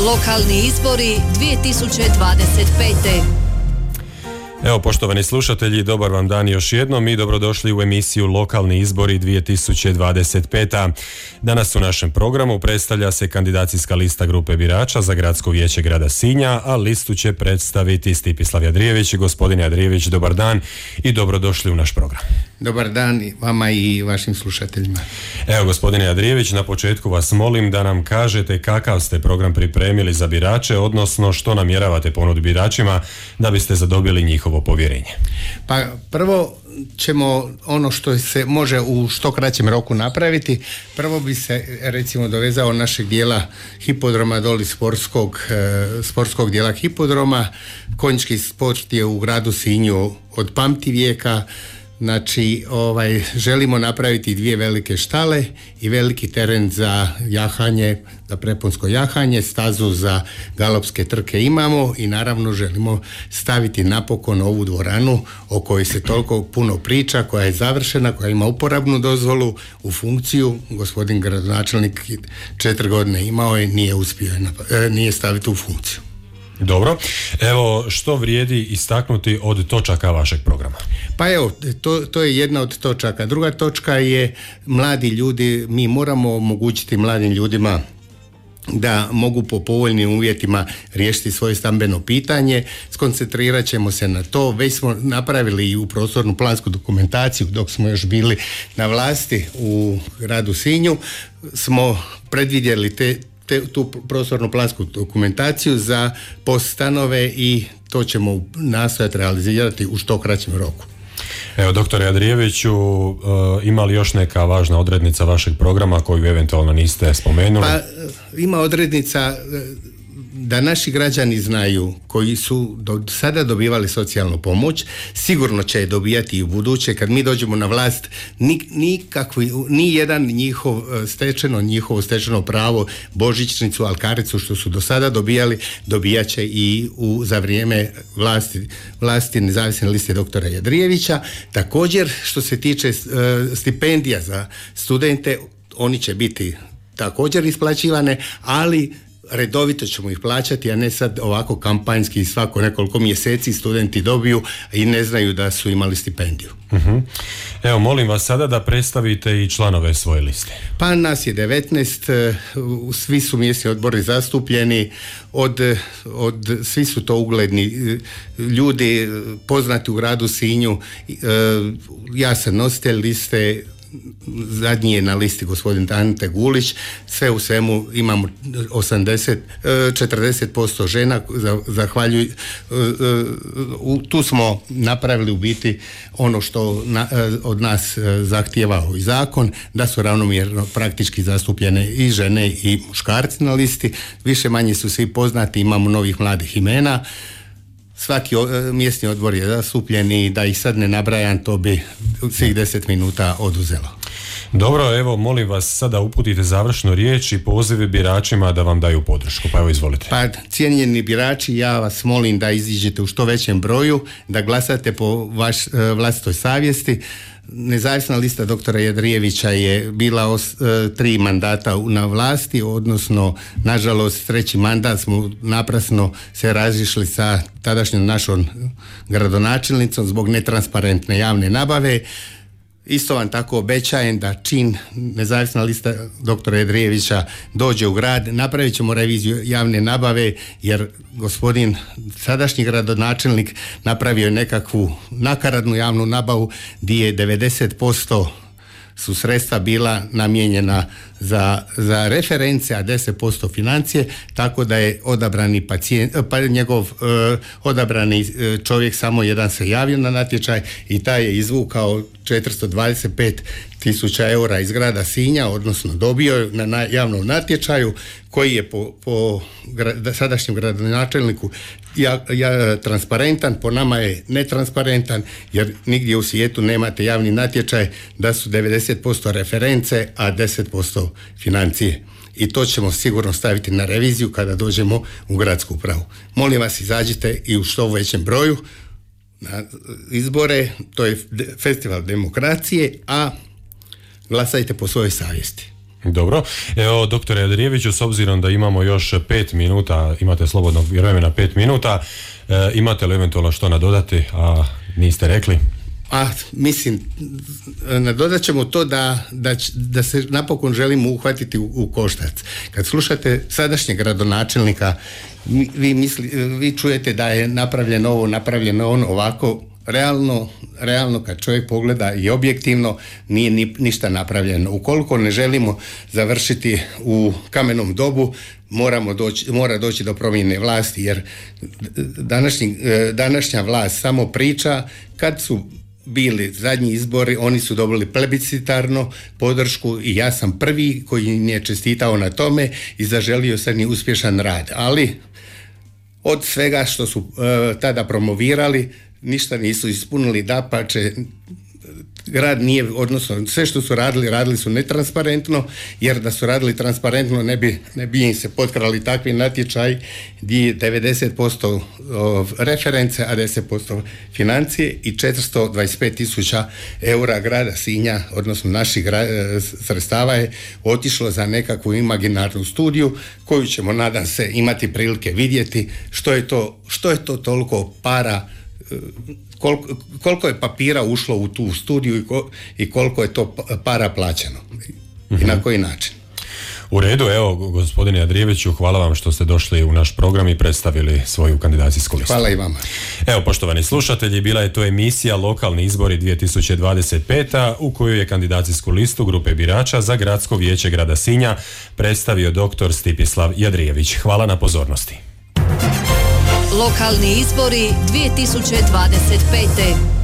Lokalni izbori 2025. Evo, poštovani slušatelji, dobar vam dan još jednom i dobrodošli u emisiju Lokalni izbori 2025. Danas u našem programu predstavlja se kandidacijska lista grupe birača za Gradsko vijeće grada Sinja, a listu će predstaviti Stipislav Jadrijević. Gospodine Jadrijević, dobar dan i dobrodošli u naš program. Dobar dan vama i vašim slušateljima. Evo, gospodine Jadrijević, na početku vas molim da nam kažete kakav ste program pripremili za birače, odnosno što namjeravate ponuditi biračima da biste zadobili njihovo povjerenje. Pa prvo ćemo ono što se može u što kraćem roku napraviti. Prvo bi se recimo dovezao našeg dijela hipodroma doli sportskog dijela hipodroma. Konjički sport je u gradu Sinju od pamti vijeka. Znači, želimo napraviti 2 velike štale i veliki teren za jahanje, za preponsko jahanje, stazu za galopske trke imamo i naravno želimo staviti napokon ovu dvoranu o kojoj se toliko puno priča, koja je završena, koja ima uporabnu dozvolu u funkciju. Gospodin gradonačelnik 4 godine imao i nije uspio nije staviti u funkciju. Dobro, evo što vrijedi istaknuti od točaka vašeg programa? Pa evo, to je jedna od točaka. Druga točka je mladi ljudi. Mi moramo omogućiti mladim ljudima da mogu po povoljnim uvjetima riješiti svoje stambeno pitanje. Skoncentrirat ćemo se na to. Već smo napravili i u prostornu plansku dokumentaciju dok smo još bili na vlasti u gradu Sinju. Smo predvidjeli tu prostornu plansku dokumentaciju za POS stanove i to ćemo nastojati realizirati u što kraćem roku. Evo, doktore Jadrijeviću, ima li još neka važna odrednica vašeg programa koju eventualno niste spomenuli? Pa ima odrednica da naši građani znaju, koji su do sada dobivali socijalnu pomoć, sigurno će je dobijati i u buduće. Kad mi dođemo na vlast, ni jedan njihovo stečeno pravo, božićnicu, alkaricu što su do sada dobijali, dobijat će i za vrijeme vlasti nezavisne liste doktora Jadrijevića. Također, što se tiče stipendija za studente, oni će biti također isplaćivane, ali redovito ćemo ih plaćati, a ne sad ovako kampanjski svako nekoliko mjeseci studenti dobiju i ne znaju da su imali stipendiju. Uh-huh. Evo, molim vas sada da predstavite i članove svoje liste. Pa nas je 19, svi su mjesni odbori zastupljeni, svi su to ugledni ljudi, poznati u gradu Sinju. Ja sam nositelj liste, zadnji je na listi gospodin Ante Gulić. Sve u svemu imamo 40% žena. Tu smo napravili u biti ono što od nas zahtijeva i zakon, da su ravnomjerno praktički zastupljene i žene i muškarci na listi. Više manje su svi poznati, imamo novih mladih imena. Svaki mjesni odbor je zastupljen i da ih sad ne nabrajam, to bi svih 10 minuta oduzelo. Dobro, evo, molim vas sada uputite završnu riječ i pozive biračima da vam daju podršku. Pa evo, izvolite. Pa, cijenjeni birači, ja vas molim da iziđete u što većem broju, da glasate po vlastitoj savjesti. Nezavisna lista doktora Jadrijevića je bila 3 mandata na vlasti, odnosno nažalost 3. mandat smo naprasno se razišli sa tadašnjom našom gradonačelnicom zbog netransparentne javne nabave. Isto vam tako obećajem da čim nezavisna lista doktora Jadrijevića dođe u grad, napravit ćemo reviziju javne nabave, jer gospodin sadašnji gradonačelnik napravio je nekakvu nakaradnu javnu nabavu gdje je 90% su sredstva bila namijenjena za reference, a 10% financije, tako da je odabrani odabrani čovjek samo jedan se javio na natječaj i taj je izvukao 425.000 eura iz grada Sinja, odnosno dobio na javnom natječaju koji je po sadašnjem gradonačelniku transparentan, po nama je netransparentan, jer nigdje u svijetu nemate javni natječaj da su 90% reference, a 10% financije. I to ćemo sigurno staviti na reviziju kada dođemo u gradsku upravu. Molim vas, izađite i u što većem broju na izbore, to je festival demokracije, a glasajte po svojoj savjesti. Dobro. Evo, doktore Jadrijeviću, s obzirom da imamo još 5 minuta, imate slobodnog vremena 5 minuta, imate li eventualno što nadodati, a niste rekli? Mislim, nadodat ćemo to da se napokon želimo uhvatiti u koštac. Kad slušate sadašnjeg gradonačelnika, vi čujete da je napravljeno ovo, napravljeno ono, ovako. Realno kad čovjek pogleda i objektivno nije ništa napravljeno. Ukoliko ne želimo završiti u kamenom dobu, mora doći do promjene vlasti, jer današnja vlast samo priča. Kad su bili zadnji izbori, oni su dobili plebiscitarno podršku i ja sam prvi koji im je čestitao na tome i zaželio sam i uspješan rad. Ali od svega što su tada promovirali, ništa nisu ispunili, dapače, grad nije, odnosno sve što su radili su netransparentno, jer da su radili transparentno ne bi im se potkrali takvi natječaj gdje je 90% reference, a 10% financije i 425.000 eura grada Sinja, odnosno naših sredstava je otišlo za nekakvu imaginarnu studiju koju ćemo, nadam se, imati prilike vidjeti što je to toliko para, koliko je papira ušlo u tu studiju i koliko je to para plaćeno i na koji način. U redu, evo, gospodine Jadrijeviću, hvala vam što ste došli u naš program i predstavili svoju kandidacijsku listu. Hvala i vama. Evo, poštovani slušatelji, bila je to emisija Lokalni izbori 2025. u kojoj je kandidacijsku listu grupe birača za Gradsko vijeće grada Sinja predstavio dr. Stipislav Jadrijević. Hvala na pozornosti. Lokalni izbori 2025.